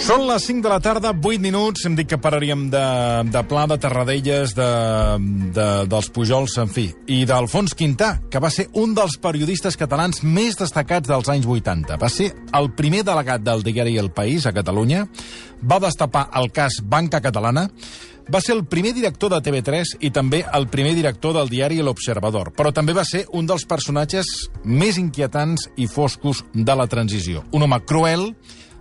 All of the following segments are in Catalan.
Són les 5 de la tarda, 8 minuts. Hem dit que pararíem de Pla, de Tarradellas, dels Pujols, en fi, i d'Alfons Quintà, que va ser un dels periodistes catalans més destacats dels anys 80. Va ser el primer delegat del diari El País a Catalunya, va destapar el cas Banca Catalana, va ser el primer director de TV3 i també el primer director del diari L'Observador, però també va ser un dels personatges més inquietants i foscos de la transició. Un home cruel,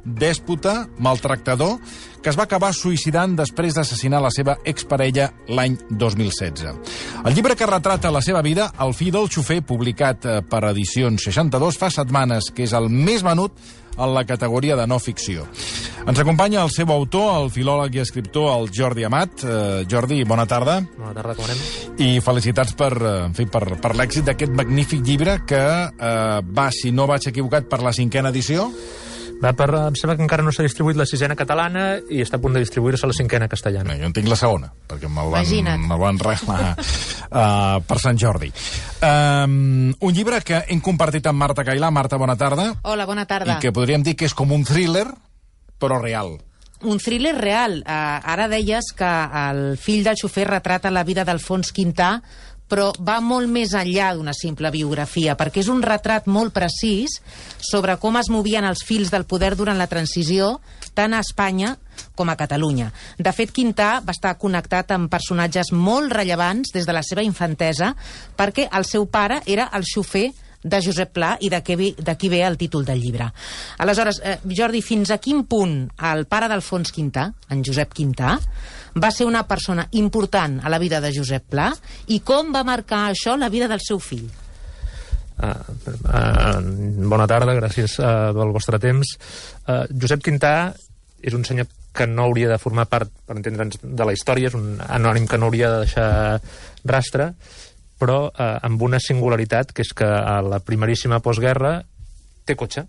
dèspota, maltractador, que es va acabar suïcidant després d'assassinar la seva exparella l'any 2016. El llibre que retrata la seva vida, El fill del xofer, publicat per Edicions 62, fa setmanes que és el més venut en la categoria de no ficció. Ens acompanya el seu autor, el filòleg i escriptor, el Jordi Amat. Jordi, bona tarda. Bona tarda, com anem? I felicitats per l'èxit d'aquest magnífic llibre que va, si no vaig equivocat, per la 5ª edició. Em sembla que encara no s'ha distribuït la 6ª catalana i està a punt de distribuir-se la 5ª castellana. Jo en tinc la 2ª, perquè me'l van regalar per Sant Jordi. Un llibre que hem compartit amb Marta Cailà. Marta, bona tarda. Hola, bona tarda. I que podríem dir que és com un thriller, però real. Un thriller real. Ara deies que el fill del xofer retrata la vida d'Alfons Quintà, però va molt més enllà d'una simple biografia, perquè és un retrat molt precís sobre com es movien els fils del poder durant la transició, tant a Espanya com a Catalunya. De fet, Quintà va estar connectat amb personatges molt rellevants des de la seva infantesa, perquè el seu pare era el xofer de Josep Pla, i d'aquí ve el títol del llibre. Aleshores, Jordi, fins a quin punt el pare d'Alfons Quintà, en Josep Quintà, va ser una persona important a la vida de Josep Pla, i com va marcar això la vida del seu fill? Bona tarda, gràcies pel vostre temps. Josep Quintà és un senyor que no hauria de formar part, per entendre'ns, de la història, és un anònim que no hauria de deixar rastre, però amb una singularitat, que és que a la primeríssima postguerra té cotxe.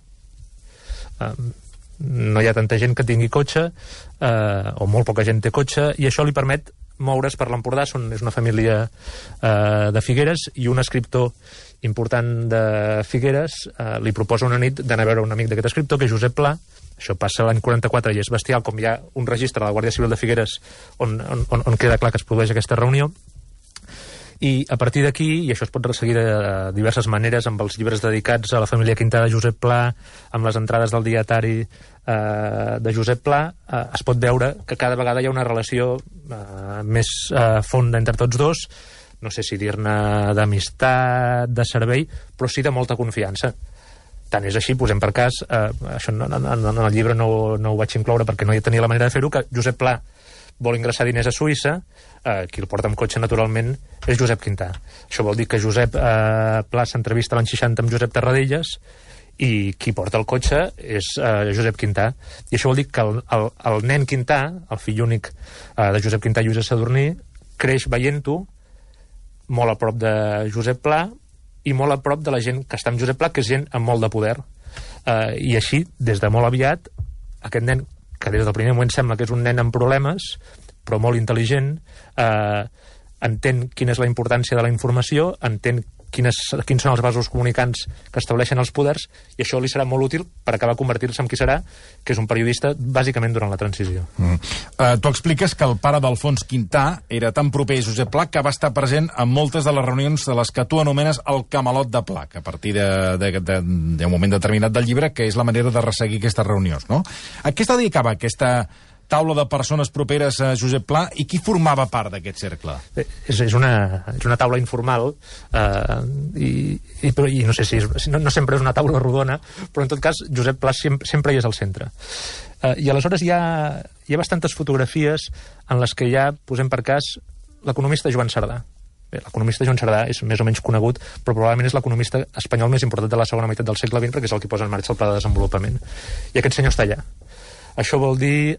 No hi ha tanta gent que tingui cotxe, o molt poca gent té cotxe, i això li permet moure's per l'Empordà. És una família de Figueres, i un escriptor important de Figueres li proposa una nit d'anar a veure un amic d'aquest escriptor, que és Josep Pla. Això passa l'any 44 i és bestial, com hi ha un registre de la Guàrdia Civil de Figueres on queda clar que es produeix aquesta reunió. I a partir d'aquí, i això es pot resseguir de diverses maneres, amb els llibres dedicats a la família Quintà de Josep Pla, amb les entrades del dietari de Josep Pla, es pot veure que cada vegada hi ha una relació més fonda entre tots dos, no sé si dir-ne d'amistat, de servei, però sí de molta confiança. Tant és així, posem per cas, això en el llibre no ho vaig incloure perquè no hi tenia la manera de fer-ho, que Josep Pla vol ingressar diners a Suïssa, qui el porta amb cotxe, naturalment, és Josep Quintà. Això vol dir que Josep Pla s'entrevista l'any 60 amb Josep Tarradellas, i qui porta el cotxe és Josep Quintà. I això vol dir que el nen Quintà, el fill únic de Josep Quintà i Lluïsa Sadurní, creix veient-ho molt a prop de Josep Pla i molt a prop de la gent que està amb Josep Pla, que és gent amb molt de poder. I així, des de molt aviat, aquest nen, que des del primer moment sembla que és un nen amb problemes, però molt intel·ligent, entén quina és la importància de la informació, entén quins són els vasos comunicants que estableixen els poders, i això li serà molt útil per acabar convertir-se en qui serà, que és un periodista bàsicament durant la transició. Tu expliques que el pare d'Alfons Quintà era tan proper a Josep Pla que va estar present en moltes de les reunions de les que tu anomenes el camalot de Pla, que a partir d'un moment determinat del llibre, que és la manera de resseguir aquestes reunions, no? A què es dedicava aquesta taula de persones properes a Josep Pla, i qui formava part d'aquest cercle? És una taula informal, i no sé si no sempre és una taula rodona, però en tot cas Josep Pla sempre hi és al centre. I aleshores hi ha bastantes fotografies en les que hi ha, posem per cas, l'economista Joan Cerdà. Bé, l'economista Joan Cerdà és més o menys conegut, però probablement és l'economista espanyol més important de la segona meitat del segle XX, perquè és el que posa en marxa el pla de desenvolupament. I aquest senyor està allà. Això vol dir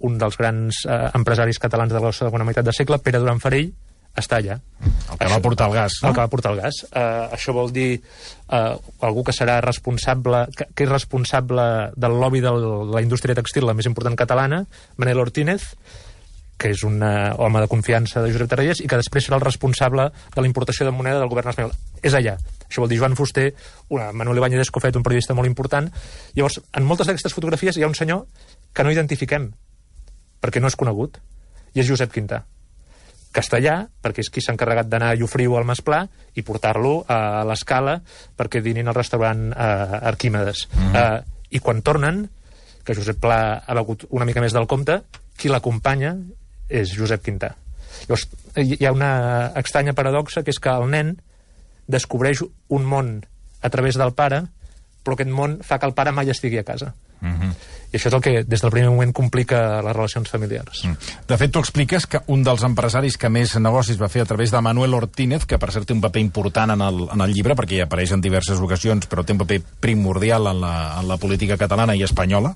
un dels grans empresaris catalans de la segona meitat del segle, Pere Duran Farell, està allà. El que va portar el gas, no? El que va portar el gas. Això vol dir algú que serà responsable, que és responsable del lobby de la indústria textil, la més important catalana, Manel Ortínez, que és un home de confiança de Josep Tarradellas, i que després serà el responsable de la importació de moneda del govern espanyol. És allà. Això vol dir Joan Fuster, Manuel Ibáñez Escofet, un periodista molt important. Llavors, en moltes d'aquestes fotografies hi ha un senyor que no identifiquem, perquè no és conegut, i és Josep Quintà. Castellà, perquè és qui s'ha encarregat d'anar a Llofriu al Masplà i portar-lo a l'Escala perquè dinin al restaurant Arquímedes. I quan tornen, que Josep Pla ha begut una mica més del compte, qui l'acompanya és Josep Quintà. Llavors, hi ha una estranya paradoxa, que és que el nen descobreix un món a través del pare, però aquest món fa que el pare mai estigui a casa. I això és el que des del primer moment complica les relacions familiars. De fet, tu expliques que un dels empresaris que més negocis va fer a través de Manuel Ortínez, que per cert té un paper important en el llibre, perquè hi apareix en diverses ocasions, però té un paper primordial en la política catalana i espanyola,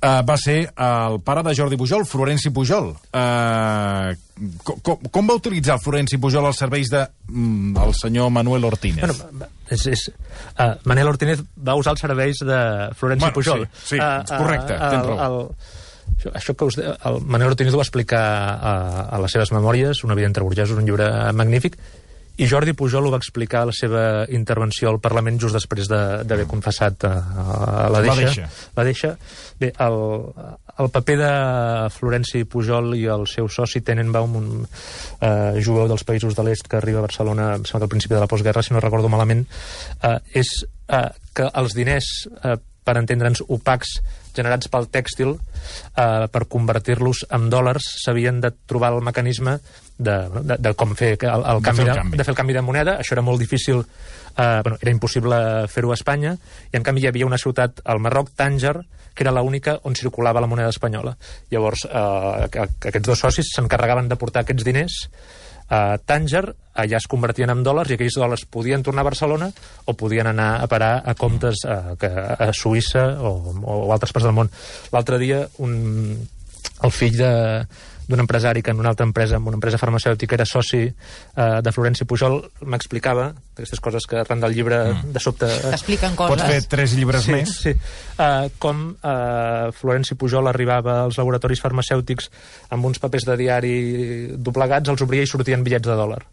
va ser el pare de Jordi Pujol, Florenci Pujol. Com va utilitzar el Florenci Pujol als serveis del senyor Manuel Ortínez? Manuel Ortínez va usar els serveis de Florenci Pujol. Sí, correcte, tens raó. Això que el Manuel Ortínez ho va explicar a les seves memòries, Una vida entre burgesos, un llibre magnífic, i Jordi Pujol ho va explicar a la seva intervenció al Parlament just després d'haver confessat la deixa. Bé, el paper de Florenci Pujol i el seu soci Tenenbaum, un jueu dels països de l'est que arriba a Barcelona, em sembla que al principi de la postguerra, si no recordo malament, és que els diners, per entendre'ns, opacs, generats pel tèxtil, per convertir-los en dòlars, s'havien de trobar el mecanisme de com fer el canvi de moneda. Això era molt difícil, era impossible fer-ho a Espanya, i en canvi hi havia una ciutat al Marroc, Tànger, que era l'única on circulava la moneda espanyola. Llavors, aquests dos socis s'encarregaven de portar aquests diners a Tànger, allà es convertien en dòlars, i aquells dòlars podien tornar a Barcelona o podien anar a parar a comptes a Suïssa o altres parts del món. L'altre dia, el fill d'un empresari que en una altra empresa, en una empresa farmacèutica, era soci de Florenci Pujol, m'explicava aquestes coses que arran del llibre de sobte... T'expliquen coses. Pots fer 3 llibres més. Sí. Com Florenci Pujol arribava als laboratoris farmacèutics amb uns papers de diari doblegats, els obria i sortien bitllets de dòlar.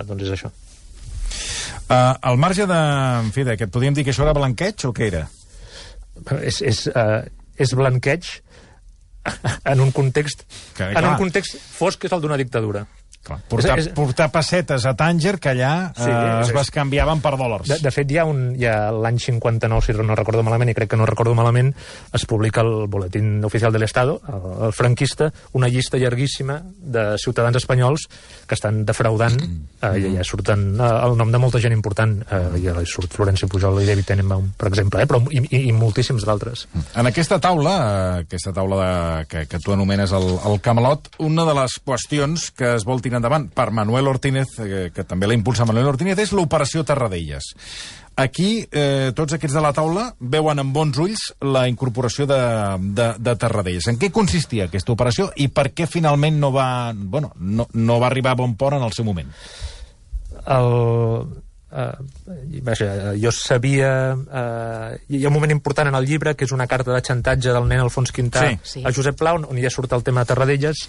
Doncs és això. Al marge d'aquest, podríem dir que això era blanqueig o què era? És blanqueig en un context fosc, que és el d'una dictadura. Clar, portar pessetes a Tànger, que allà es bescanviaven per dòlars. De fet, ja l'any 59, si no recordo malament, i crec que no recordo malament, es publica el Boletín Oficial del Estado, el franquista, una llista llarguíssima de ciutadans espanyols que estan defraudant, i allà surten el nom de molta gent important, i allà surt Florenci Pujol i David Tenenbaum, per exemple, però i moltíssims d'altres. En aquesta taula que tu anomenes el Camelot, una de les qüestions que es vol tirar endavant per Manuel Ortínez, que també la impulsa Manuel Ortínez, és l'operació Tarradellas. Aquí, tots aquests de la taula veuen amb bons ulls la incorporació de Tarradellas. En què consistia aquesta operació i per què finalment no va arribar a bon port en el seu moment? Jo sabia... hi ha un moment important en el llibre, que és una carta de xantatge del nen Alfons Quintà a Josep Pla, on ja surt el tema de Tarradellas.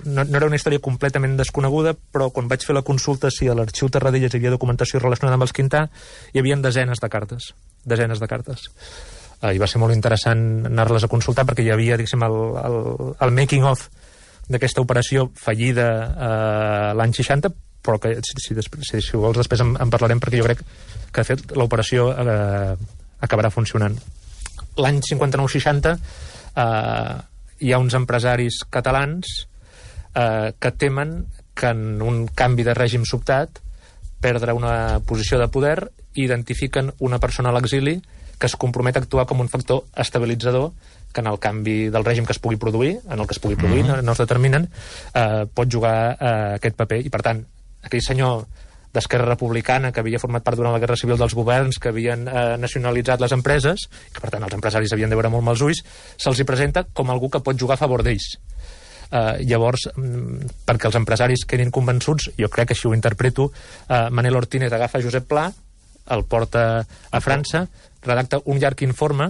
No era una història completament desconeguda, però quan vaig fer la consulta si a l'arxiu Tarradellas hi havia documentació relacionada amb els Quintà, hi havia desenes de cartes. I va ser molt interessant anar-les a consultar, perquè hi havia, diguéssim, el making of d'aquesta operació fallida l'any 60, però que si vols després en parlarem, perquè jo crec que de fet l'operació acabarà funcionant. L'any 59-60 hi ha uns empresaris catalans que temen que en un canvi de règim sobtat, perdre una posició de poder, identifiquen una persona a l'exili que es compromet a actuar com un factor estabilitzador, que en el canvi del règim que es pugui produir, no es determinen, pot jugar aquest paper. I per tant, aquell senyor d'Esquerra Republicana que havia format part durant la Guerra Civil dels governs, que havien nacionalitzat les empreses, que per tant els empresaris havien de veure molt mals ulls, se'ls hi presenta com algú que pot jugar a favor d'ells. Llavors, perquè els empresaris quedin convençuts, jo crec que així ho interpreto, Manuel Ortínez agafa Josep Pla, el porta a França, redacta un llarg informe,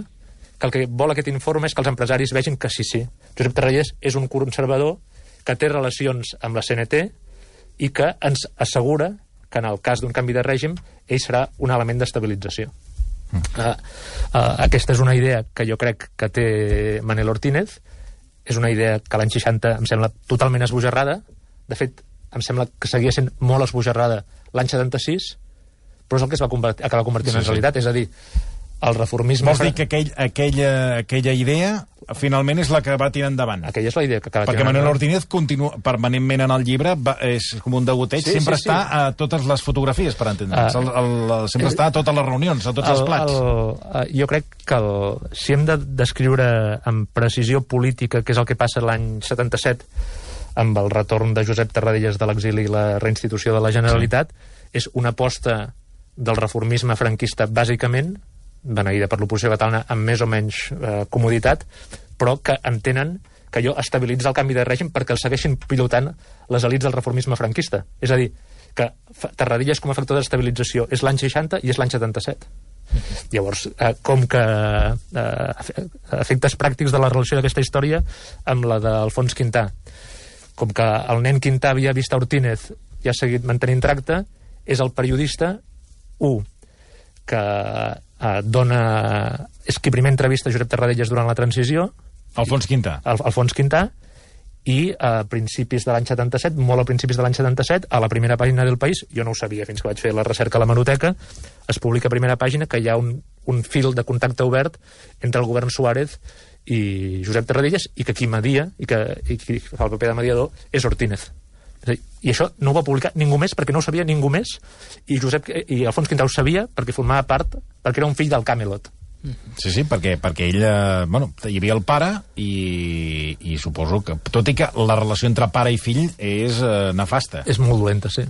que el que vol aquest informe és que els empresaris vegin que sí. Josep Tarradellas és un conservador que té relacions amb la CNT i que ens assegura que en el cas d'un canvi de règim ell serà un element d'estabilització. Aquesta és una idea que jo crec que té Manel Ortínez, és una idea que l'any 60 em sembla totalment esbojarrada, de fet em sembla que seguia sent molt esbojarrada l'any 76, però és el que es va acabar convertint en realitat, és a dir, el reformisme... Vols dir que aquella idea finalment és la que va tirar endavant? Aquella és la idea que acaba perquè Manel Ortínez continua permanentment en el llibre, és com un degoteig, sempre està a totes les fotografies, per entendre'ns, sempre està a totes les reunions, a tots els plats. Jo crec que si hem de descriure amb precisió política què és el que passa l'any 77 amb el retorn de Josep Tarradellas de l'exili i la reinstitució de la Generalitat, és una aposta del reformisme franquista bàsicament, beneïda per l'oposició catalana amb més o menys comoditat, però que entenen que allò estabilitza el canvi de règim perquè el segueixin pilotant les elits del reformisme franquista. És a dir, que Tarradellas com a factor d'estabilització és l'any 60 i és l'any 77. Llavors, com que efectes pràctics de la relació d'aquesta història amb la d'Alfons Quintà, com que el nen Quintà havia vist a Ortínez i ha seguit mantenint tracte, és el periodista que és qui primer entrevista Josep Tarradellas durant la transició, Alfons Quintà. Alfons Quintà, i a principis de l'any 77, molt a principis de l'any 77, a la primera pàgina del País, jo no ho sabia fins que vaig fer la recerca a l'hemeroteca, es publica a primera pàgina que hi ha un fil de contacte obert entre el govern Suárez i Josep Tarradellas, i que qui media, i qui fa el paper de mediador, és Ortínez. I això no ho va publicar ningú més perquè no ho sabia ningú més, i Alfons Quintà ho sabia perquè formava part, perquè era un fill del Camelot. Sí, perquè ell, hi havia el pare i suposo que, tot i que la relació entre pare i fill és nefasta. És molt dolenta, sí.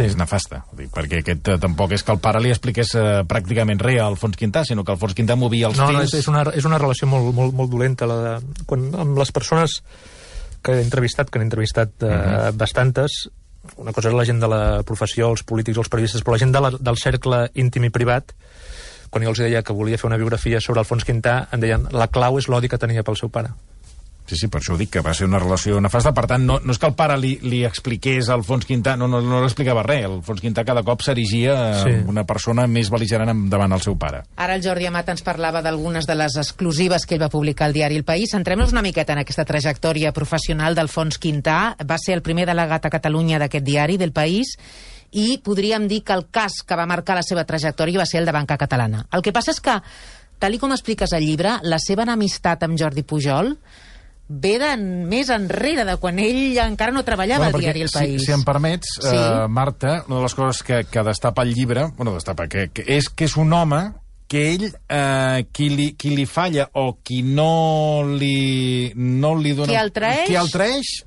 És nefasta, perquè aquest tampoc és que el pare li expliqués pràcticament res a Alfons Quintà, sinó que Alfons Quintà movia els fills... No, és una relació molt dolenta, amb les persones que he entrevistat, bastantes. Una cosa és la gent de la professió, els polítics, els periodistes, però la gent del cercle íntim i privat, quan jo els deia que volia fer una biografia sobre Alfons Quintà, em deien la clau és l'odi que tenia pel seu pare. Sí, per això ho dic, que va ser una relació nefasta. Per tant, no és que el pare li expliqués a Alfons Quintà, no li explicava res. Alfons Quintà cada cop s'erigia una persona més bel·ligerant davant el seu pare. Ara el Jordi Amat ens parlava d'algunes de les exclusives que ell va publicar al diari El País. Centrem-nos una miqueta en aquesta trajectòria professional d'Alfons Quintà. Va ser el primer delegat a Catalunya d'aquest diari, del País, i podríem dir que el cas que va marcar la seva trajectòria va ser el de Banca Catalana. El que passa és que, tal com expliques al llibre, la seva enemistat amb Jordi Pujol ve més enrere de quan ell encara no treballava al diari El País. Si em permets, Marta, una de les coses que destapa el llibre, és que és un home que ell, qui li falla o qui no li dona... Qui el traeix,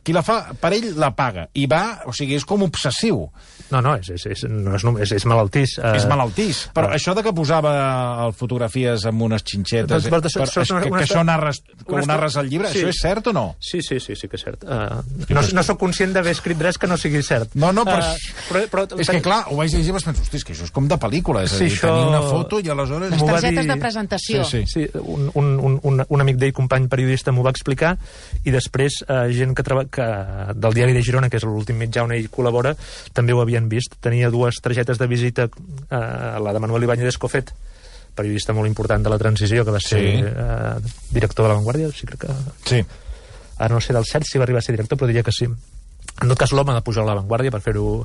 qui la fa, per ell la paga. I va, o sigui, és com obsessiu. No, és malaltís. És malaltís. Però això de que posava fotografies amb unes xinxetes, que això narres al llibre, això és cert o no? Sí que és cert. No sóc conscient d'haver escrit res que no sigui cert. No, però és que clar, ho vaig llegir i vaig pensar, hosti, és que això és com de pel·lícula, és a dir, tenir una foto i aleshores... Les targetes de presentació. Sí, un amic d'ell, company periodista, m'ho va explicar, i després gent que del diari de Girona, que és l'últim mitjà on ell col·labora, també ho havien vist. Tenia dues targetes de visita, la de Manuel Ibáñez Escofet, periodista molt important de la transició, que va ser director de La Vanguardia, sí, crec que... Sí. Ara no sé del cert si va arribar a ser director, però diria que sí. En tot cas, l'home de Pujol a La Vanguardia, per fer-ho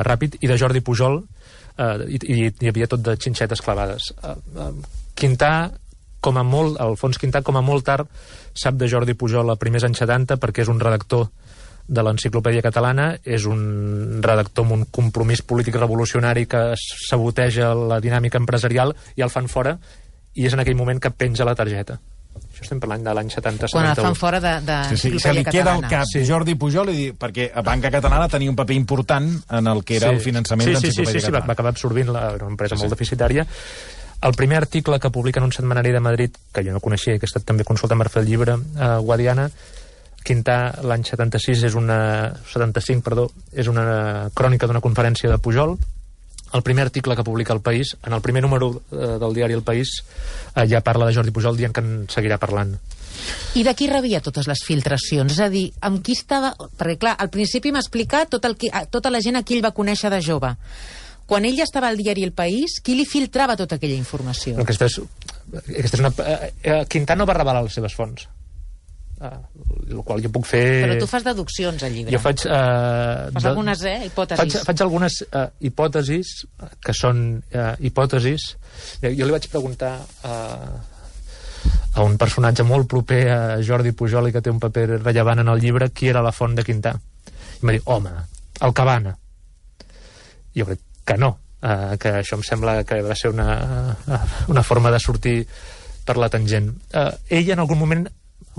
ràpid, i de Jordi Pujol, i hi havia tot de xinxetes clavades. Quintà, Alfons Quintà, com a molt tard, sap de Jordi Pujol a primers anys 70 perquè és un redactor de l'Enciclopèdia Catalana, és un redactor amb un compromís polític revolucionari que saboteja la dinàmica empresarial i el fan fora, i és en aquell moment que penja la targeta. Això estem parlant de l'any 70-71. Quan el fan fora de l'Enciclopèdia Catalana. Se li queda al cap Jordi Pujol, perquè a Banca Catalana tenia un paper important en el que era el finançament d'Enciclopèdia Catalana. Sí, va acabar absorbint una empresa molt deficitària. El primer article que publica en un setmanari de Madrid, que jo no coneixia i que he estat també consultant per fer el llibre, Guadiana, Quintà, l'any 75, és una crònica d'una conferència de Pujol. El primer article que publica El País, en el primer número del diari El País, ja parla de Jordi Pujol dient que en seguirà parlant. I de qui rebia totes les filtracions? És a dir, amb qui estava... Perquè, clar, al principi m'ha explicat tota la gent a qui ell va conèixer de jove. Quan ell ja estava al diari El País, qui li filtrava tota aquella informació? Aquesta és una... Quintà no va revelar les seves fonts. El qual jo puc fer... Però tu fas deduccions al llibre. Jo faig... Fas algunes hipòtesis. Faig algunes hipòtesis, que són hipòtesis. Jo li vaig preguntar a un personatge molt proper a Jordi Pujol i que té un paper rellevant en el llibre qui era la font de Quintà. I m'ha dit, home, el Cabana. Jo crec que no, que això em sembla que va ser una forma de sortir per la tangent. Ell en algun moment,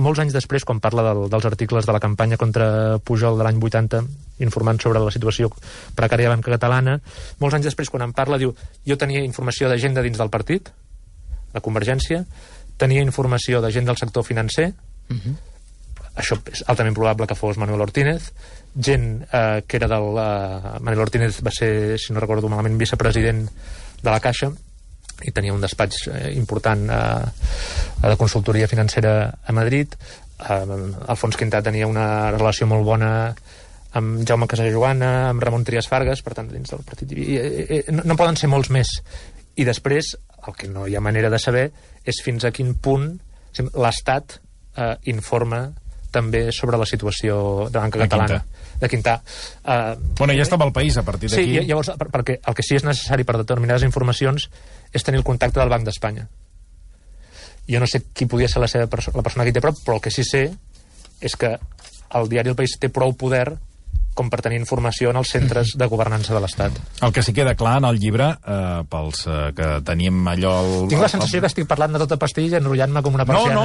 molts anys després, quan parla dels articles de la campanya contra Pujol de l'any 80, informant sobre la situació precària de la banca catalana, molts anys després, quan en parla, diu, jo tenia informació de gent de dins del partit, de Convergència, tenia informació de gent del sector financer, això és altament probable que fos Manuel Ortínez, gent que era del... Manuel Ortínez va ser, si no recordo malament, vicepresident de la Caixa, i tenia un despatx important de consultoria financera a Madrid. Alfons Quintà tenia una relació molt bona amb Jaume Casajoana, amb Ramon Trias Fargas, per tant, dins del partit. No poden ser molts més. I després, el que no hi ha manera de saber és fins a quin punt l'Estat informa també sobre la situació de banca catalana. De Quintà. Bueno, ja estava al País a partir d'aquí. Sí, llavors, perquè el que sí és necessari per determinades informacions és tenir el contacte del Banc d'Espanya. Jo no sé qui podia ser la persona que hi té prop, però el que sí sé és que el diari El País té prou poder com per tenir informació en els centres de governança de l'Estat. El que sí queda clar en el llibre, pels que teníem allò... Tinc la sensació que estic parlant de tota pastilla enrotllant-me com una persiana.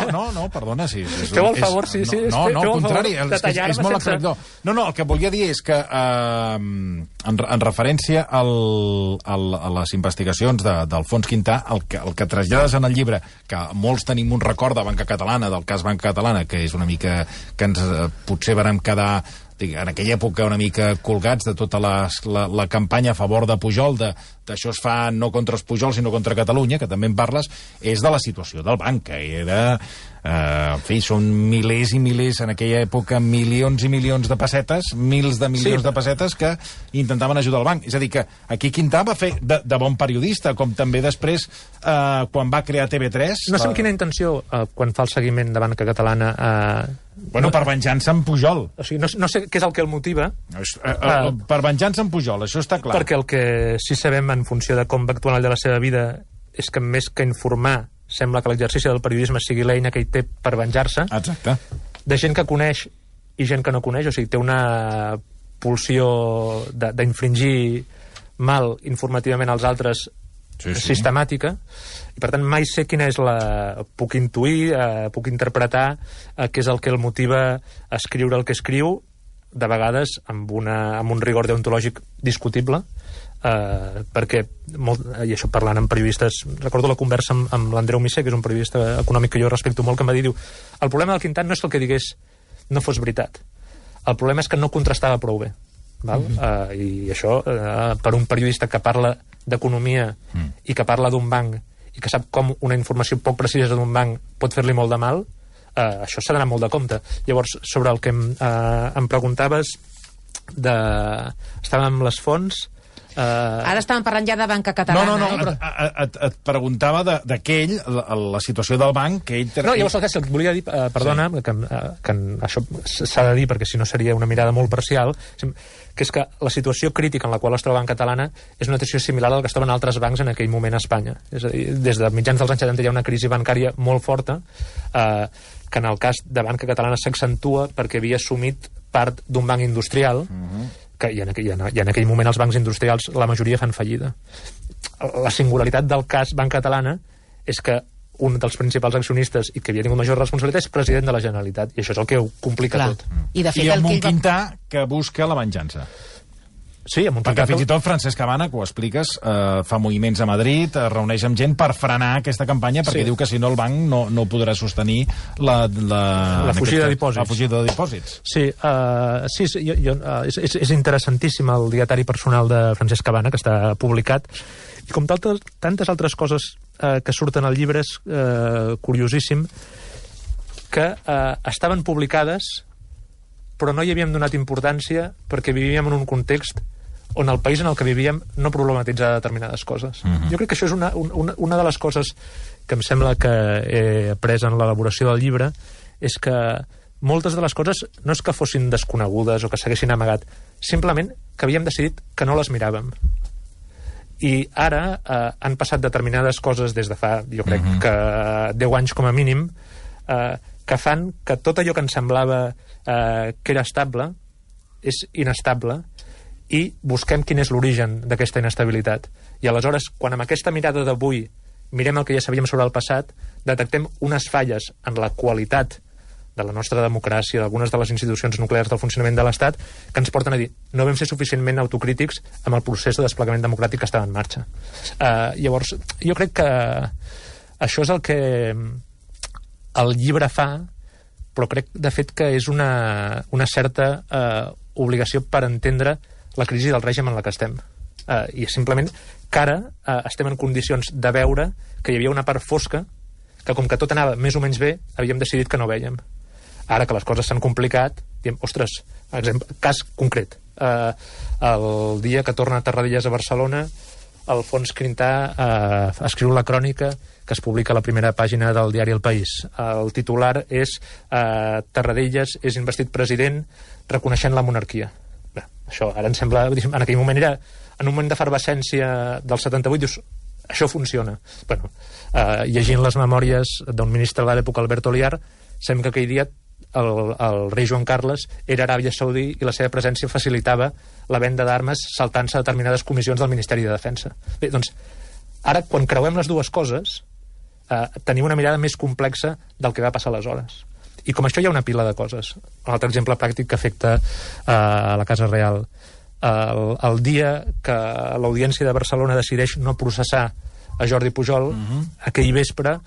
No, perdona, sí. Feu el favor, sí. No, al contrari, és molt aclaridor. No, el que volia dir és que en referència a les investigacions d'Alfons Quintà, el que trasllades en el llibre, que molts tenim un record de Banca Catalana, del cas Banca Catalana, que és una mica que ens potser vàrem quedar en aquella època una mica colgats de tota la campanya a favor de Pujol, d'això es fa no contra els Pujol sinó contra Catalunya, que també en parles, és de la situació del banc, que era... en fi, són milers i milers, en aquella època, milions i milions de pessetes, mils de milions de pessetes que intentaven ajudar el banc. És a dir, que aquí Quintà va fer de bon periodista, com també després, quan va crear TV3... No sé amb quina intenció, quan fa el seguiment de Banca Catalana... Bueno, per venjança amb Pujol. O sigui, no sé què és el que el motiva. Per venjança amb Pujol, això està clar. Perquè el que sí sabem en funció de com va actuar al llarg de la seva vida és que més que informar sembla que l'exercici del periodisme sigui l'eina que hi té per venjar-se. Exacte. De gent que coneix i gent que no coneix, o sigui, té una pulsió d'infringir mal informativament als altres sistemàtica, i per tant mai sé quina és puc intuir, puc interpretar què és el que el motiva a escriure el que escriu, de vegades amb un rigor deontològic discutible, perquè i això parlant amb periodistes, recordo la conversa amb l'Andreu Misser, que és un periodista econòmic que jo respecto molt, que em va dir, el problema del Quintà no és que el que digués no fos veritat, el problema és que no contrastava prou bé, val? I això per un periodista que parla d'economia i que parla d'un banc i que sap com una informació poc precisa d'un banc pot fer-li molt de mal, això s'ha d'anar molt de compte. Llavors, sobre el que em preguntaves estàvem amb les fonts. Ara estàvem parlant ja de Banca Catalana. No, et preguntava d'aquell, la situació del banc, que ell... No, llavors el que volia dir, perdona, que això s'ha de dir perquè si no seria una mirada molt parcial, que és que la situació crítica en la qual es troba Banca Catalana és una situació similar al que es troben altres bancs en aquell moment a Espanya. És a dir, des de mitjans dels anys 70 hi ha una crisi bancària molt forta, que en el cas de Banca Catalana s'accentua perquè havia assumit part d'un banc industrial, i en aquell moment els bancs industrials la majoria fan fallida. La singularitat del cas Banca Catalana és que un dels principals accionistes i que havia tingut major responsabilitat és president de la Generalitat, i això és el que ho complica tot. I amb un Quintà que busca la venjança. Sí, amb un perquè fins i tot Francesc Cabana, que ho expliques, fa moviments a Madrid, es reuneix amb gent per frenar aquesta campanya, perquè diu que si no el banc no podrà sostenir la fugida de dipòsits. La fugida de dipòsits. Sí, és interessantíssim el dietari personal de Francesc Cabana, que està publicat, i com tantes altres coses que surten al llibre és curiosíssim que estaven publicades però no hi havíem donat importància perquè vivíem en un context on el país en el que vivíem no problematitzava determinades coses. Jo crec que això és una de les coses que em sembla que he après en l'elaboració del llibre, és que moltes de les coses no és que fossin desconegudes o que s'haguessin amagat, simplement que havíem decidit que no les miràvem. I ara han passat determinades coses des de fa, jo crec que 10 anys com a mínim, que fan que tot allò que ens semblava que era estable és inestable, i busquem quin és l'origen d'aquesta inestabilitat. I aleshores, quan amb aquesta mirada d'avui mirem el que ja sabíem sobre el passat, detectem unes falles en la qualitat de la nostra democràcia, d'algunes de les institucions nuclears del funcionament de l'Estat, que ens porten a dir no vam ser suficientment autocrítics amb el procés de desplegament democràtic que estava en marxa. Llavors, jo crec que això és el que el llibre fa, però crec, de fet, que és una certa obligació per entendre la crisi del règim en la que estem. I simplement que ara estem en condicions de veure que hi havia una part fosca que, com que tot anava més o menys bé, havíem decidit que no vèiem. Ara que les coses s'han complicat, diem, ostres, cas concret. El dia que torna a Tarradellas a Barcelona, Alfons Quintà escriu la crònica que es publica a la primera pàgina del diari El País. El titular és Tarradellas és investit president reconeixent la monarquia. Bé, això ara em sembla... En aquell moment era... En un moment d'efervescència del 78, dius, això funciona. Bueno, llegint les memòries d'un ministre de l'època, Alberto Liar, sembla que aquell dia el rei Joan Carles era a Aràbia Saudí i la seva presència facilitava la venda d'armes saltant-se a determinades comissions del Ministeri de Defensa. Bé, doncs, ara, quan creuem les dues coses, tenim una mirada més complexa del que va passar aleshores. I com això hi ha una pila de coses. Un altre exemple pràctic que afecta a la Casa Real. El dia que l'Audiència de Barcelona decideix no processar a Jordi Pujol, aquell vespre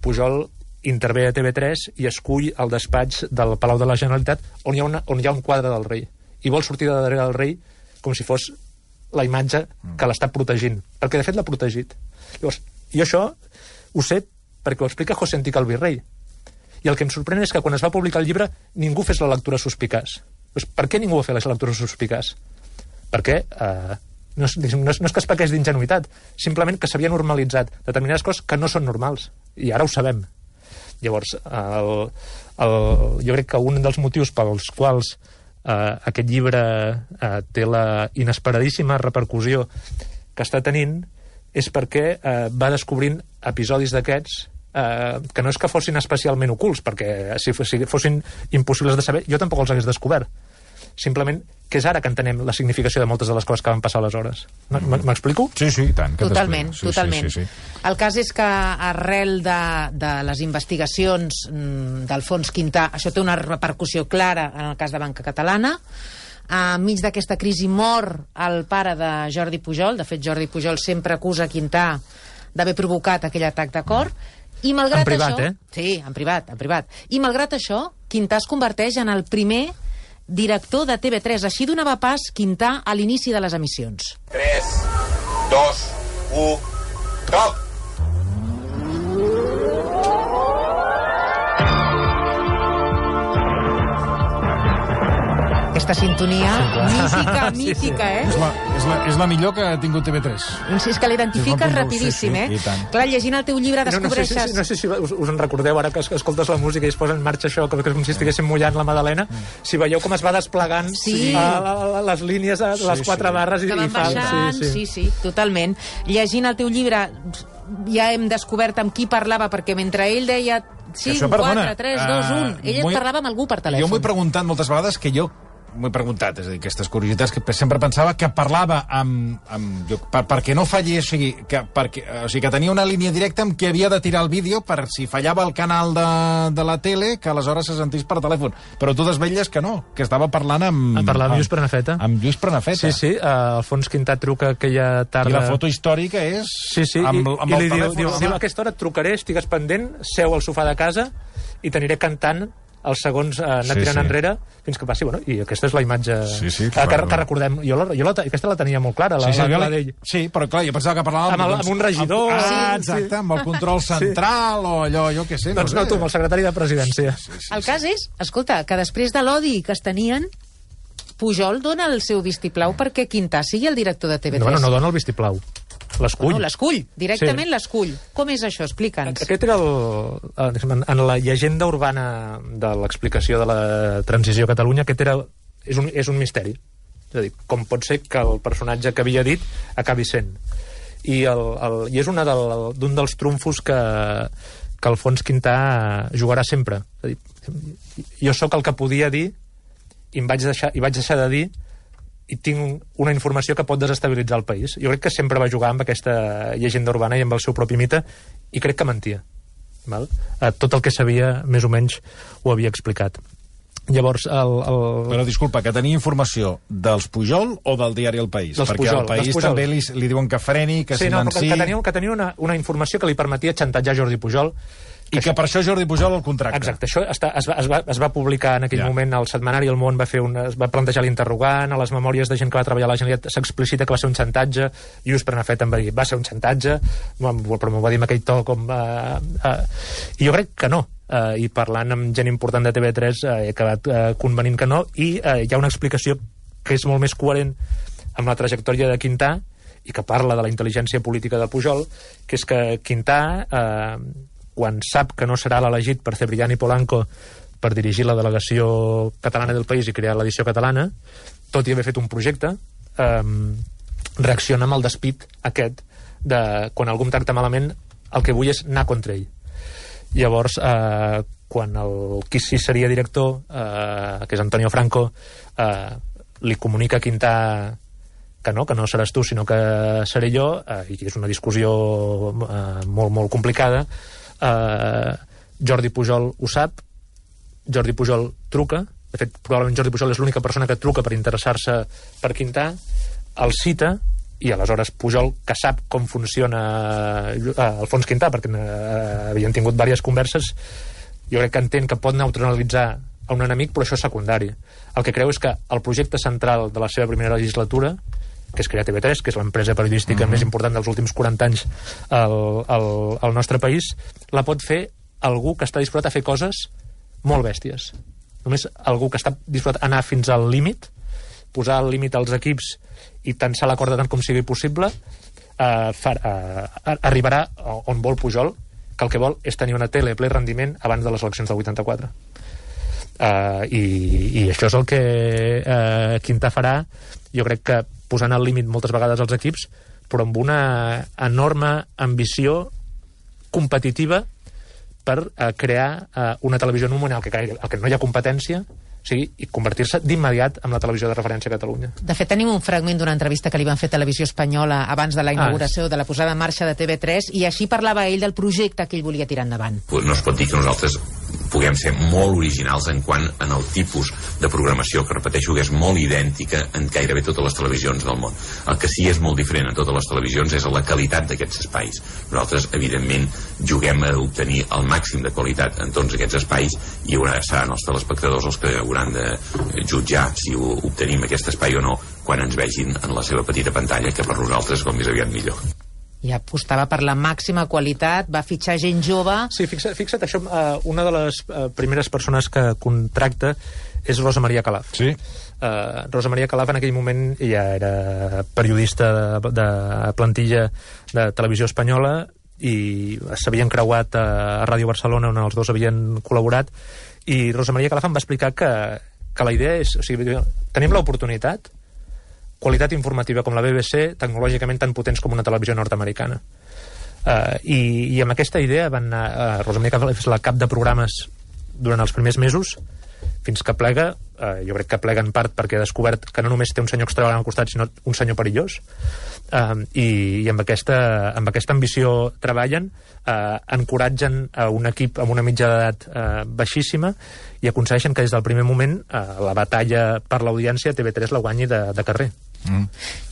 Pujol intervé a TV3 i escull el despatx del Palau de la Generalitat on hi ha un quadre del rei. I vol sortir de darrere del rei com si fos la imatge que l'està protegint. Perquè, de fet, l'ha protegit. Llavors, jo això ho sé perquè ho explica José Antic el Virrei. I el que em sorprèn és que quan es va publicar el llibre ningú fes la lectura suspicaç. Doncs per què ningú va fer la lectura suspicaç? Perquè no és que es pequés d'ingenuïtat, simplement que s'havia normalitzat determinades coses que no són normals. I ara ho sabem. Llavors, jo crec que un dels motius pels quals aquest llibre té la inesperadíssima repercussió que està tenint és perquè va descobrint episodis d'aquests que no és que fossin especialment ocults, perquè si fossin impossibles de saber, jo tampoc els hagués descobert. Simplement que és ara que entenem la significació de moltes de les coses que van passar aleshores. M'explico? Sí, i tant. Totalment. Sí. El cas és que arrel de les investigacions d'Alfons Quintà, això té una repercussió clara en el cas de Banca Catalana. Enmig d'aquesta crisi mor el pare de Jordi Pujol. De fet, Jordi Pujol sempre acusa Quintà d'haver provocat aquell atac de cor. I malgrat en privat, això, Sí, en privat. I malgrat això, Quintà es converteix en el primer director de TV3. Així donava pas Quintà a l'inici de les emissions. 3, 2, 1, top! Aquesta sintonia mítica, eh? És la millor que ha tingut TV3. És que l'identifiques rapidíssim, eh? Clar, llegint el teu llibre descobreixes... No sé si us en recordeu ara que escoltes la música i es posa en marxa això, com si estiguéssim mullant la Madalena. Si veieu com es va desplegant les línies, les 4 barres... Que van baixant, sí, totalment. Llegint el teu llibre ja hem descobert amb qui parlava, perquè mentre ell deia 5, 4, 3, 2, 1, ell et parlava amb algú per telèfon. Jo m'ho he preguntat moltes vegades m'ho he preguntat, és a dir, aquestes curiositats que sempre pensava que parlava perquè no fallés, o sigui, que tenia una línia directa amb qui havia de tirar el vídeo per si fallava el canal de la tele, que aleshores se sentís per telèfon. Però tu desvetlles que no, que estava parlant amb Lluís Prenafeta. Amb Lluís Prenafeta. Sí, Alfons Quintà truca aquella tarda... I la foto històrica és... Sí, amb el li telèfon. Diu, a aquesta hora et trucaré, estigues pendent, seu al sofà de casa i t'aniré cantant els segons anar tirant enrere fins que passi, i aquesta és la imatge que recordem. Aquesta la tenia molt clara, la d'ell. Sí, però clar, jo pensava que parlàvem... Amb un regidor... Exacte, amb el control central o allò, jo què sé. Doncs no, tu, amb el secretari de Presidència. El cas és, escolta, que després de l'odi que es tenien, Pujol dona el seu vistiplau perquè Quintà sigui el director de TV3. No dona el vistiplau. L'escull. No, l'escull, directament l'escull. Com és això? Explica'ns. Aquest era en la llegenda urbana de l'explicació de la transició a Catalunya, és un misteri. És a dir, com pot ser que el personatge que havia dit acabi sent. I és un dels trumfos que Alfons Quintà jugarà sempre. És a dir, jo sóc el que podia dir i vaig deixar de dir i tinc una informació que pot desestabilitzar el país. Jo crec que sempre va jugar amb aquesta llegenda urbana i amb el seu propi mite, i crec que mentia. Val? Tot el que sabia, més o menys, ho havia explicat. Llavors, Però disculpa, que tenia informació dels Pujol o del diari El País? Dels Perquè Pujol, al País també li diuen que freni, que silenci... Que tenia una informació que li permetia xantatjar Jordi Pujol. I que per això Jordi Pujol el contracta. Exacte, això es va publicar en aquell moment al setmanari El Món, es va plantejar l'interrogant, a les memòries de gent que va treballar a la Generalitat s'explicita que va ser un xantatge, Lluís Prenafeta em va dir, va ser un xantatge, però m'ho va dir amb aquell to com... I jo crec que no. I parlant amb gent important de TV3 he acabat convenint que no, i hi ha una explicació que és molt més coherent amb la trajectòria de Quintà i que parla de la intel·ligència política de Pujol, que és que Quintà... quan sap que no serà l'elegit per Cebrián i Polanco per dirigir la delegació catalana del País i crear l'edició catalana, tot i haver fet un projecte, reacciona amb el despit aquest de quan algú em tracta malament, el que vull és anar contra ell. Llavors, quan qui sí seria director, que és Antonio Franco, li comunica a Quintà que no seràs tu, sinó que seré jo, i és una discussió molt, molt complicada. Jordi Pujol ho sap, Jordi Pujol truca, de fet probablement Jordi Pujol és l'única persona que truca per interessar-se per Quintà, el cita, i aleshores Pujol, que sap com funciona Alfons Quintà, perquè havien tingut diverses converses, jo crec que entén que pot neutralitzar a un enemic, però això és secundari. El que creu és que el projecte central de la seva primera legislatura, que és crear TV3, que és l'empresa periodística més important dels últims 40 anys al nostre país, la pot fer algú que està disposat a fer coses molt bèsties. Només algú que està disposat a anar fins al límit, posar al límit als equips i tensar la corda tant com sigui possible, arribarà on vol Pujol, que el que vol és tenir una tele a ple rendiment abans de les eleccions del 84. I això és el que Quintà farà, jo crec que posant al límit moltes vegades els equips, però amb una enorme ambició competitiva per crear una televisió en un moment en què no hi ha competència, i convertir-se d'immediat en la televisió de referència a Catalunya. De fet, tenim un fragment d'una entrevista que li van fer a Televisió Espanyola abans de la inauguració de la posada en marxa de TV3, i així parlava ell del projecte que ell volia tirar endavant. No es pot dir que nosaltres puguem ser molt originals en quant en el tipus de programació, que repeteixo que és molt idèntica en gairebé totes les televisions del món. El que sí és molt diferent en totes les televisions és la qualitat d'aquests espais. Nosaltres, evidentment, juguem a obtenir el màxim de qualitat en tots aquests espais, i seran els telespectadors els que hauran de jutjar si obtenim aquest espai o no quan ens vegin en la seva petita pantalla, que per nosaltres com més aviat millor. I apostava per la màxima qualitat, va fitxar gent jove... Sí, fixa't, això, una de les primeres persones que contracta és Rosa Maria Calaf. Sí. Rosa Maria Calaf en aquell moment ja era periodista de plantilla de Televisió Espanyola i s'havien creuat a Ràdio Barcelona, on els dos havien col·laborat, i Rosa Maria Calaf em va explicar que la idea és... O sigui, tenim l'oportunitat, qualitat informativa com la BBC, tecnològicament tan potents com una televisió nord-americana. I amb aquesta idea van anar... Rosa Maria Calaf és la cap de programes durant els primers mesos, fins que plega, jo crec que plega en part perquè ha descobert que no només té un senyor extravagant al costat, sinó un senyor perillós, i amb aquesta ambició treballen, encoratgen a un equip amb una mitja d'edat baixíssima i aconsegueixen que des del primer moment la batalla per l'audiència TV3 la guanyi de carrer.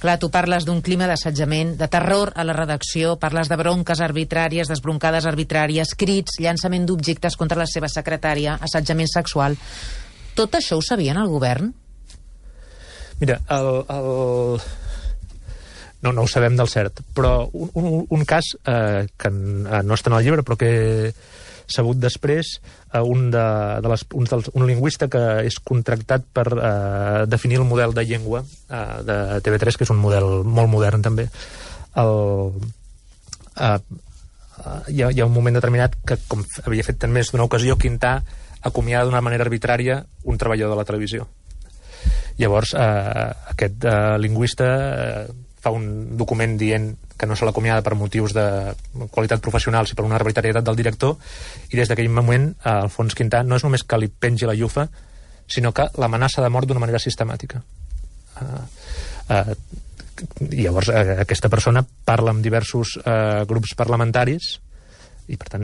Clar, tu parles d'un clima d'assetjament, de terror a la redacció, parles de bronques arbitràries, desbroncades arbitràries, crits, llançament d'objectes contra la seva secretària, assetjament sexual. Tot això ho sabien el govern? Mira, no ho sabem del cert, però un cas que no està en el llibre, però que he sabut després, un lingüista que és contractat per definir el model de llengua de TV3, que és un model molt modern també. Hi ha un moment determinat que, com havia fet en més d'una ocasió, Quintà acomiada d'una manera arbitrària un treballador de la televisió. Llavors, aquest lingüista fa un document dient que no se l'acomiada per motius de qualitat professional, sinó per una arbitrarietat del director, i des d'aquell moment Alfons Quintà no és només que li pengi la llufa, sinó que l'amenaça de mort d'una manera sistemàtica. Llavors aquesta persona parla amb diversos grups parlamentaris i per tant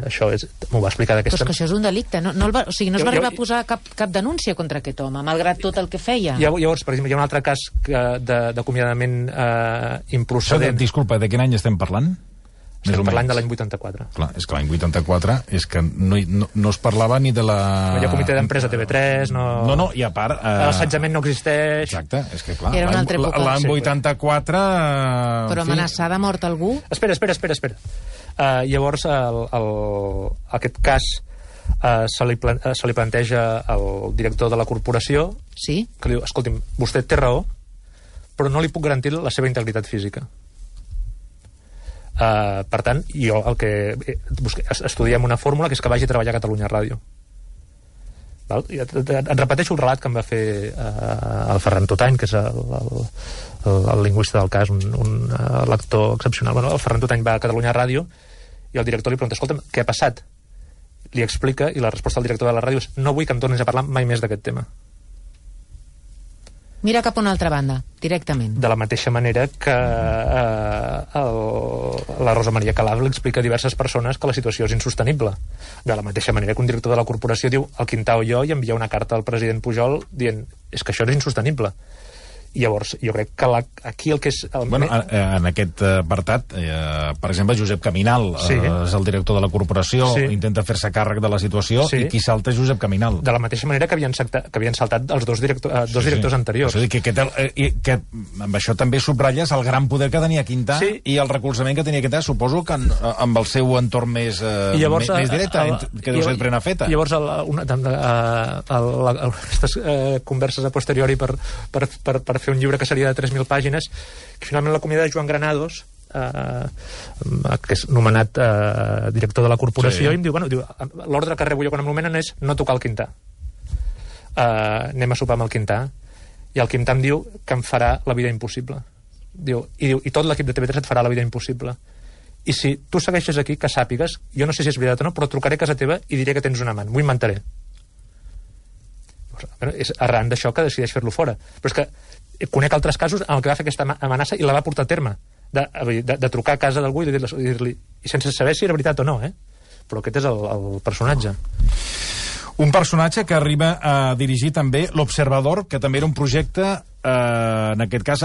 això m'ho va explicar d'aquesta... Però és que això és un delicte, no es va arribar a posar cap denúncia contra aquest home, malgrat tot el que feia. Llavors, per exemple, hi ha un altre cas d'acomiadament improcedent. Disculpa, de quin any estem parlant? Estem parlant de l'any 84. Clar, és que l'any 84 és que no es parlava ni de la... No hi ha comitè d'empresa TV3, no... No, i a part... L'assetjament no existeix... Exacte, és que clar... Era una altra època. L'any 84... Però amenaçar de mort algú? Espera. Llavors, aquest cas se li planteja al director de la corporació, sí? Que li diu, escolti'm, vostè té raó, però no li puc garantir la seva integritat física. Per tant, jo el que estudiem una fórmula que és que vagi a treballar a Catalunya Ràdio. Et repeteixo el relat que em va fer el Ferran Totany, que és el lingüista del cas, un lector excepcional. El Ferran Totany va a Catalunya Ràdio i el director li pregunta, escolta'm, què ha passat? Li explica i la resposta del director de la ràdio és, no vull que em tornis a parlar mai més d'aquest tema. Mira cap a una altra banda, directament. De la mateixa manera que la Rosa Maria Calaf li explica a diverses persones que la situació és insostenible. De la mateixa manera que un director de la corporació diu el Quintà o jo i envia una carta al president Pujol dient és que això és insostenible. I llavors, jo crec que aquí el que és... En aquest apartat, per exemple, Josep Caminal és el director de la corporació, intenta fer-se càrrec de la situació, i qui salta és Josep Caminal. De la mateixa manera que havien saltat els dos directors anteriors. És a dir, que amb això també subratlles el gran poder que tenia Quintà i el recolzament que tenia Quintà, suposo que amb el seu entorn més directe, que deu ser Prenafeta. Llavors, aquestes converses a posteriori per fer un llibre que seria de 3.000 pàgines, que finalment l'acomiada de Joan Granados, que és nomenat director de la corporació, i em diu, l'ordre que rebo jo quan em nomenen és no tocar el Quintà. Anem a sopar amb el Quintà. I el Quintà em diu que em farà la vida impossible. I tot l'equip de TV3 et farà la vida impossible. I si tu segueixes aquí, que sàpigues, jo no sé si és veritat o no, però trucaré a casa teva i diré que tens un amant. M'ho inventaré. És arran d'això que decideix fer-lo fora. Però és que conec altres casos en què va fer aquesta amenaça i la va portar a terme de trucar a casa d'algú i dir-li i sense saber si era veritat o no, però aquest és el personatge. Un personatge que arriba a dirigir també l'Observador, que també era un projecte, en aquest cas,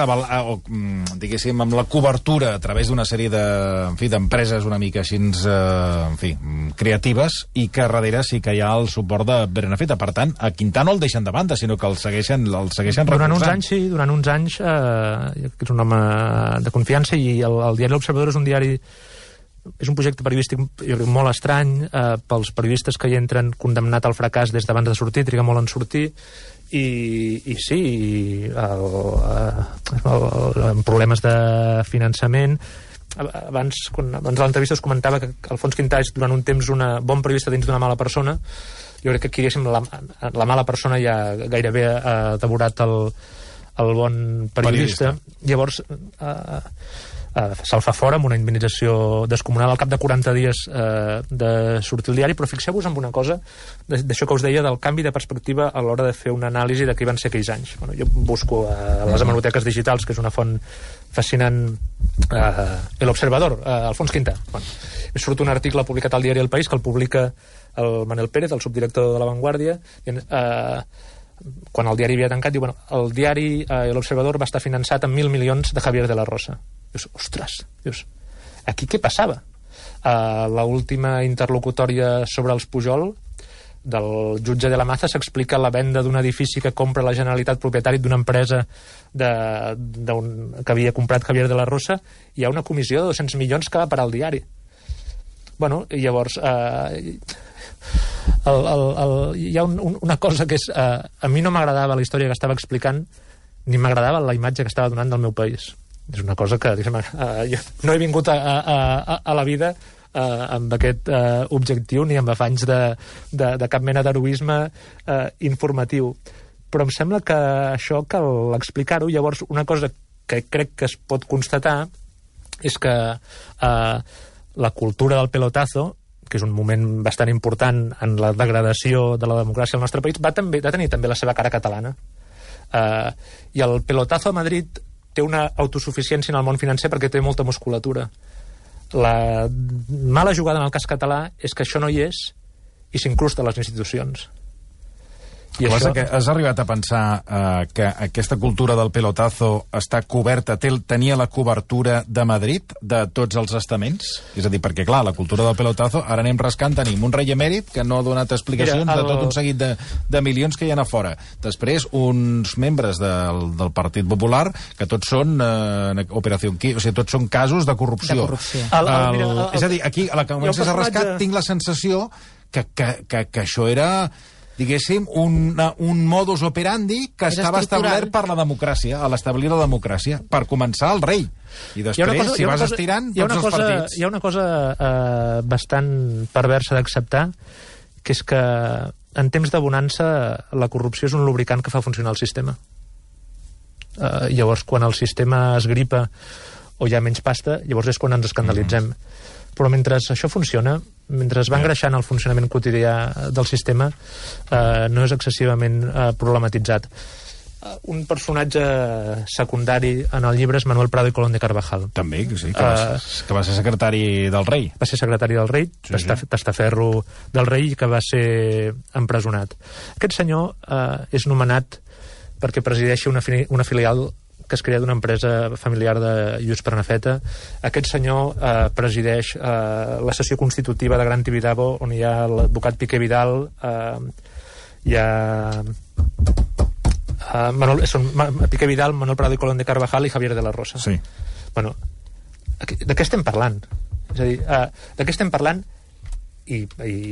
diguéssim, amb la cobertura a través d'una sèrie d'empreses una mica així, creatives, i que darrere sí que hi ha el suport de Prenafeta. Per tant, a Quintà no el deixen de banda, sinó que el segueixen recolzant. Durant uns anys, que és un home de confiança, i el diari L'Observador és un projecte periodístic molt estrany pels periodistes que hi entren, condemnat al fracàs des d'abans de sortir, triga molt en sortir, i sí, amb problemes de finançament. Abans de l'entrevista es comentava que Alfons Quintà és durant un temps un bon periodista dins d'una mala persona. Jo crec que aquí, diguéssim, la mala persona ja gairebé ha devorat el bon periodista. Llavors se'l fa fora amb una indemnització descomunal al cap de 40 dies de sortir al diari. Però fixeu-vos en una cosa d'això que us deia del canvi de perspectiva a l'hora de fer una anàlisi de què van ser aquells anys. Jo busco a les hemeroteques digitals, que és una font fascinant, l'Observador, Alfons Quintà. Surt un article publicat al diari El País, que el publica el Manel Pérez, el subdirector de La Vanguardia, quan el diari havia tancat, diu, bueno, el diari l'Observador va estar finançat amb 1.000 milions de Javier de la Rosa. Dius, ostres, dius, aquí què passava? L'última interlocutòria sobre els Pujol del jutge de la Maza s'explica la venda d'un edifici que compra la Generalitat, propietari d'una empresa que havia comprat Javier de la Rosa. Hi ha una comissió de 200 milions que va parar al diari. Bueno, i llavors hi ha una cosa que és a mi no m'agradava la història que estava explicant, ni m'agradava la imatge que estava donant del meu país. És una cosa que jo no he vingut a la vida amb aquest objectiu ni amb afanys de cap mena d'heroisme informatiu, però em sembla que això cal explicar-ho. Llavors, una cosa que crec que es pot constatar és que la cultura del pelotazo, que és un moment bastant important en la degradació de la democràcia al nostre país, va tenir també la seva cara catalana. I el pelotazo a Madrid té una autosuficiència en el món financer perquè té molta musculatura. La mala jugada en el cas català és que això no hi és i s'incrusta a les institucions. I això... Has arribat a pensar que aquesta cultura del pelotazo està coberta, tenia la cobertura de Madrid, de tots els estaments? És a dir, perquè clar, la cultura del pelotazo, ara anem rascant, tenim un rei emèrit que no ha donat explicacions de tot un seguit de milions que hi ha a fora. Després, uns membres del Partit Popular, que tots són operació, o sigui, tots són casos de corrupció. De corrupció. És a dir, aquí, a la que comences a rascar, tinc la sensació que això era... diguéssim, un modus operandi que estava establert per la democràcia, a l'establir la democràcia, per començar el rei. I després, si vas estirant, tots els partits. Hi ha una cosa bastant perversa d'acceptar, que és que en temps de bonança la corrupció és un lubricant que fa funcionar el sistema. Llavors, quan el sistema es gripa o hi ha menys pasta, llavors és quan ens escandalitzem. Però mentre això funciona, mentre es va engreixant el funcionament quotidià del sistema, no és excessivament problematitzat. Un personatge secundari en el llibre és Manuel Prado y Colón de Carvajal. També, sí, que va ser secretari del rei. Va ser secretari del rei, testaferro del rei, que va ser empresonat. Aquest senyor és nomenat perquè presideixi una filial que es crea d'una empresa familiar de Lluís Prenafeta. Aquest senyor presideix la sessió constitutiva de Gran Tibidabo, on hi ha l'advocat Piqué Vidal, hi ha Piqué Vidal, Manuel Prado y Colón de Carvajal i Javier de la Rosa. Sí. Bueno, de què estem parlant? És a dir, de què estem parlant? I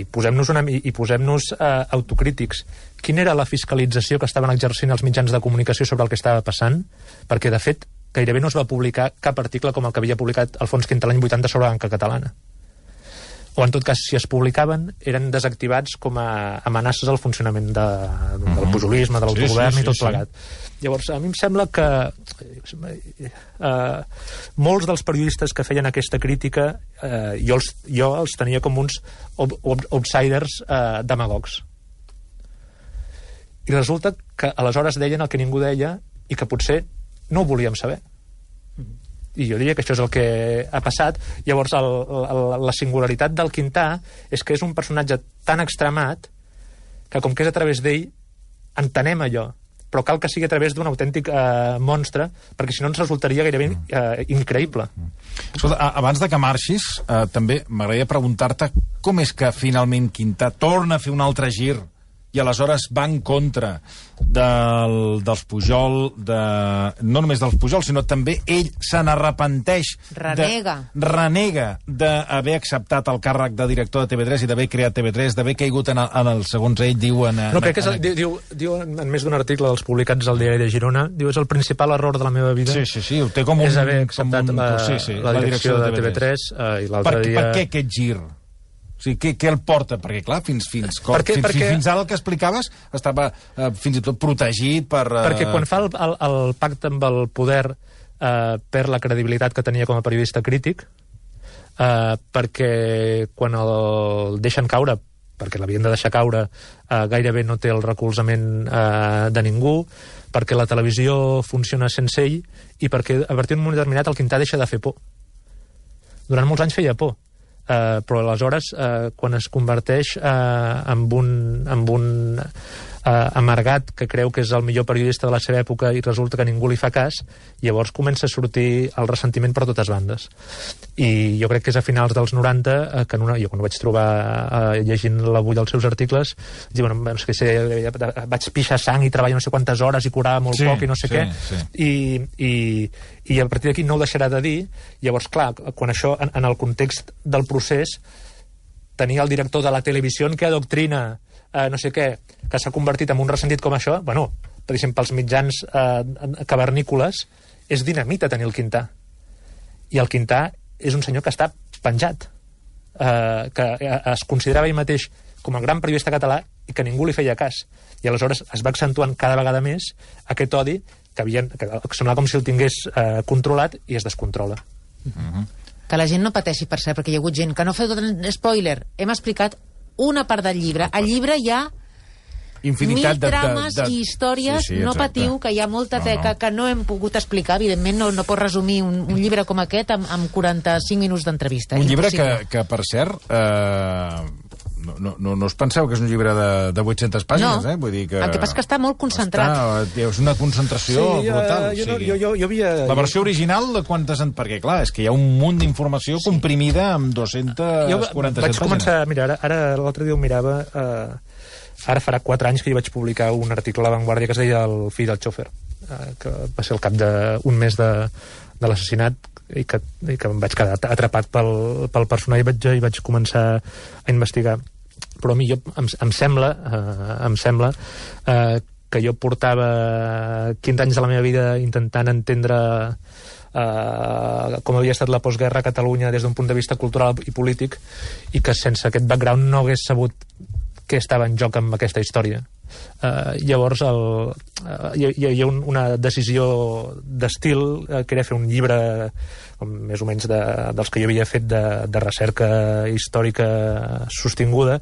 posem-nos autocrítics. Quina era la fiscalització que estaven exercint els mitjans de comunicació sobre el que estava passant? Perquè, de fet, gairebé no es va publicar cap article com el que havia publicat Alfons Quinta l'any 80 sobre la banca catalana. O, en tot cas, si es publicaven, eren desactivats com a amenaces al funcionament del pujolisme, de l'autogovern i tot plegat. Llavors, a mi em sembla que molts dels periodistes que feien aquesta crítica jo els tenia com uns outsiders demagogs. I resulta que aleshores deien el que ningú deia i que potser no ho volíem saber. I jo diria que això és el que ha passat. Llavors, la singularitat del Quintà és que és un personatge tan extremat que, com que és a través d'ell, entenem allò. Però cal que sigui a través d'un autèntic monstre, perquè si no ens resultaria gairebé increïble. Escolta, abans de que marxis, també m'agradaria preguntar-te com és que finalment Quintà torna a fer un altre gir i aleshores va en contra dels Pujol, no només dels Pujol, sinó també ell se n'arrepenteix. Renega d'haver acceptat el càrrec de director de TV3 i d'haver creat TV3, d'haver caigut en el, segons ell, diu... No, crec que diu en més d'un article dels publicats al diari de Girona, diu, és el principal error de la meva vida. Sí, ho té com un... És haver acceptat la direcció de TV3 i l'altre dia... Per què aquest gir? O sigui, què el porta? Perquè, clar, fins ara el que explicaves estava fins i tot protegit per... Perquè quan fa el pacte amb el poder perd la credibilitat que tenia com a periodista crític, perquè quan el deixen caure, perquè l'havien de deixar caure, gairebé no té el recolzament de ningú, perquè la televisió funciona sense ell i perquè a partir d'un moment determinat el Quintà deixa de fer por. Durant molts anys feia por. Però aleshores quan es converteix en un amargat, que creu que és el millor periodista de la seva època i resulta que ningú li fa cas, llavors comença a sortir el ressentiment per totes bandes. I jo crec que és a finals dels 90 que jo quan ho vaig trobar llegint l'avui dels seus articles, diuen, no sé què, vaig pixar sang i treballar no sé quantes hores i curava molt poc i no sé què. I a partir d'aquí no ho deixarà de dir. Llavors, clar, quan això, en el context del procés, tenia el director de la televisió que adoctrina no sé què, que s'ha convertit en un ressentit com això, bueno, per exemple, pels mitjans cavernícoles, és dinamita tenir el Quintà. I el Quintà és un senyor que està penjat, que es considerava ell mateix com a gran periodista català i que ningú li feia cas. I aleshores es va accentuant cada vegada més aquest odi que semblava com si el tingués controlat i es descontrola. Que la gent no pateixi, per cert, perquè hi ha hagut gent que no feu spoiler. Hem explicat una part del llibre. Al llibre hi ha infinitat 1000 trames i històries. No patiu, que hi ha molta teca que no hem pogut explicar. Evidentment no pot resumir un llibre com aquest amb 45 minuts d'entrevista. Un llibre que per cert, no us penseu que és un llibre de 800 pàgines, Vull dir que... El que passa és que està molt concentrat. És una concentració brutal. Jo havia... La versió original de quantes... Perquè, clar, és que hi ha un munt d'informació comprimida amb 247 pàgines. Vaig començar... Mira, ara l'altre dia ho mirava... Ara farà 4 anys que hi vaig publicar un article a La Vanguardia que es deia El fill del xòfer, que va ser al cap d'un mes de l'assassinat i que em vaig quedar atrapat pel personatge i vaig començar a investigar. Però a mi em sembla que jo portava 15 anys de la meva vida intentant entendre com havia estat la postguerra a Catalunya des d'un punt de vista cultural i polític, i que sense aquest background no hagués sabut què estava en joc amb aquesta història. Llavors hi ha una decisió d'estil que era fer un llibre més o menys dels que jo havia fet de recerca històrica sostinguda,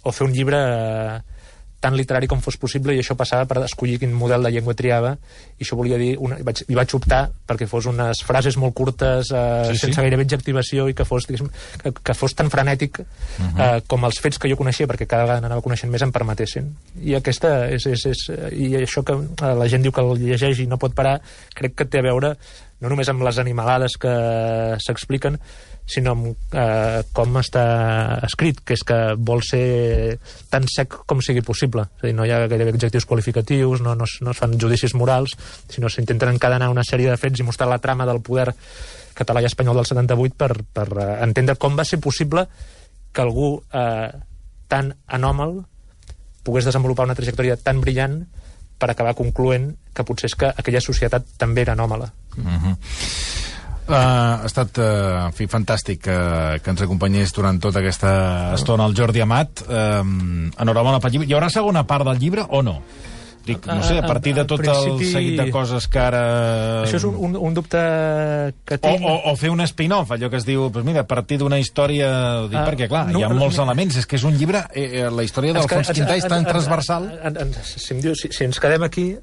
o fer un llibre tan literari com fos possible, i això passava per escollir quin model de llengua triava, i això volia dir i vaig optar perquè fos unes frases molt curtes, sense gairebé adjectivació, i que fos tan frenètic com els fets que jo coneixia, perquè cada vegada n'anava coneixent més, em permetessin. I aquesta i això que la gent diu que el llegeix i no pot parar, crec que té a veure no només amb les animalades que s'expliquen, sinó amb com està escrit, que és que vol ser tan sec com sigui possible. És a dir, no hi ha gairebé adjectius qualificatius, no es fan judicis morals, sinó s'intenten encadenar una sèrie de fets i mostrar la trama del poder català i espanyol del 78 per entendre com va ser possible que algú tan anòmal pogués desenvolupar una trajectòria tan brillant per acabar concloent que potser és que aquella societat també era anòmala. Ha estat fantàstic que ens acompanyés durant tota aquesta estona el Jordi Amat. Enhorabona pel llibre. Hi haurà segona part del llibre o no? Dic, no sé, a partir de tot el seguit de coses que ara... Això és un dubte que tinc... O fer un spin-off, allò que es diu, doncs mira, a partir d'una història... Dic, perquè, clar, hi ha molts elements. És que és un llibre... La història d'Alfons Quintà és tan transversal... Si ens quedem aquí...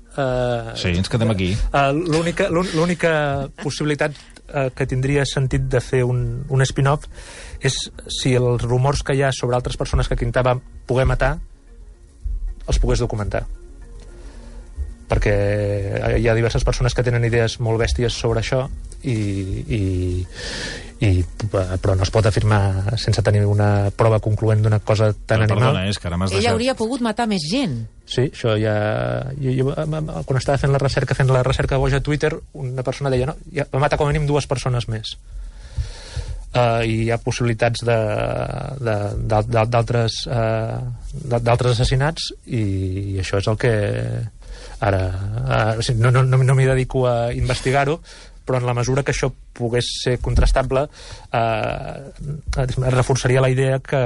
Sí, ens quedem aquí. L'única possibilitat que tindria sentit de fer un spin-off és si els rumors que hi ha sobre altres persones que Quintà va poder matar els pogués documentar, perquè hi ha diverses persones que tenen idees molt bèsties sobre això però no es pot afirmar sense tenir una prova concloent d'una cosa tan animal. Perdona, és que ara m'has deixat... Ell hauria pogut matar més gent. Sí, això ja... Jo, quan estava fent la recerca boja a Twitter, una persona deia, no, ja va matar com a mínim 2 persones més. I hi ha possibilitats d'altres assassinats, i això és el que ara no m'hi dedico a investigar-ho, però en la mesura que això pogués ser contrastable reforçaria la idea que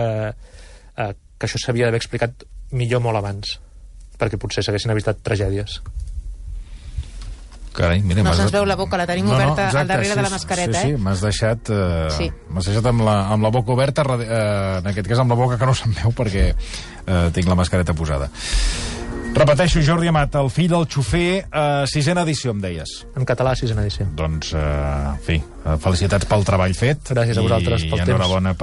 això s'havia d'haver explicat millor molt abans, perquè potser s'haguessin evitat tragèdies. Carai, mira, no se'ns veu la boca, la tenim oberta al darrere de la mascareta. Sí, m'has deixat amb la boca oberta, en aquest cas amb la boca que no se'm veu perquè tinc la mascareta posada. Repeteixo, Jordi Amat, El fill del xofer, 6ena edició, em deies. En català, 6ena edició. Doncs, en fi, felicitats pel treball fet. Gràcies a vosaltres pel temps. I enhorabona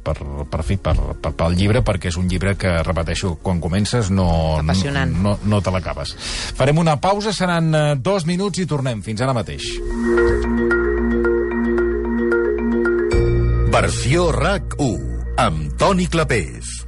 pel llibre, perquè és un llibre que, repeteixo, quan comences no te l'acabes. Farem una pausa, seran 2 minuts i tornem. Fins ara mateix. Versió RAC 1 amb Toni Clapés.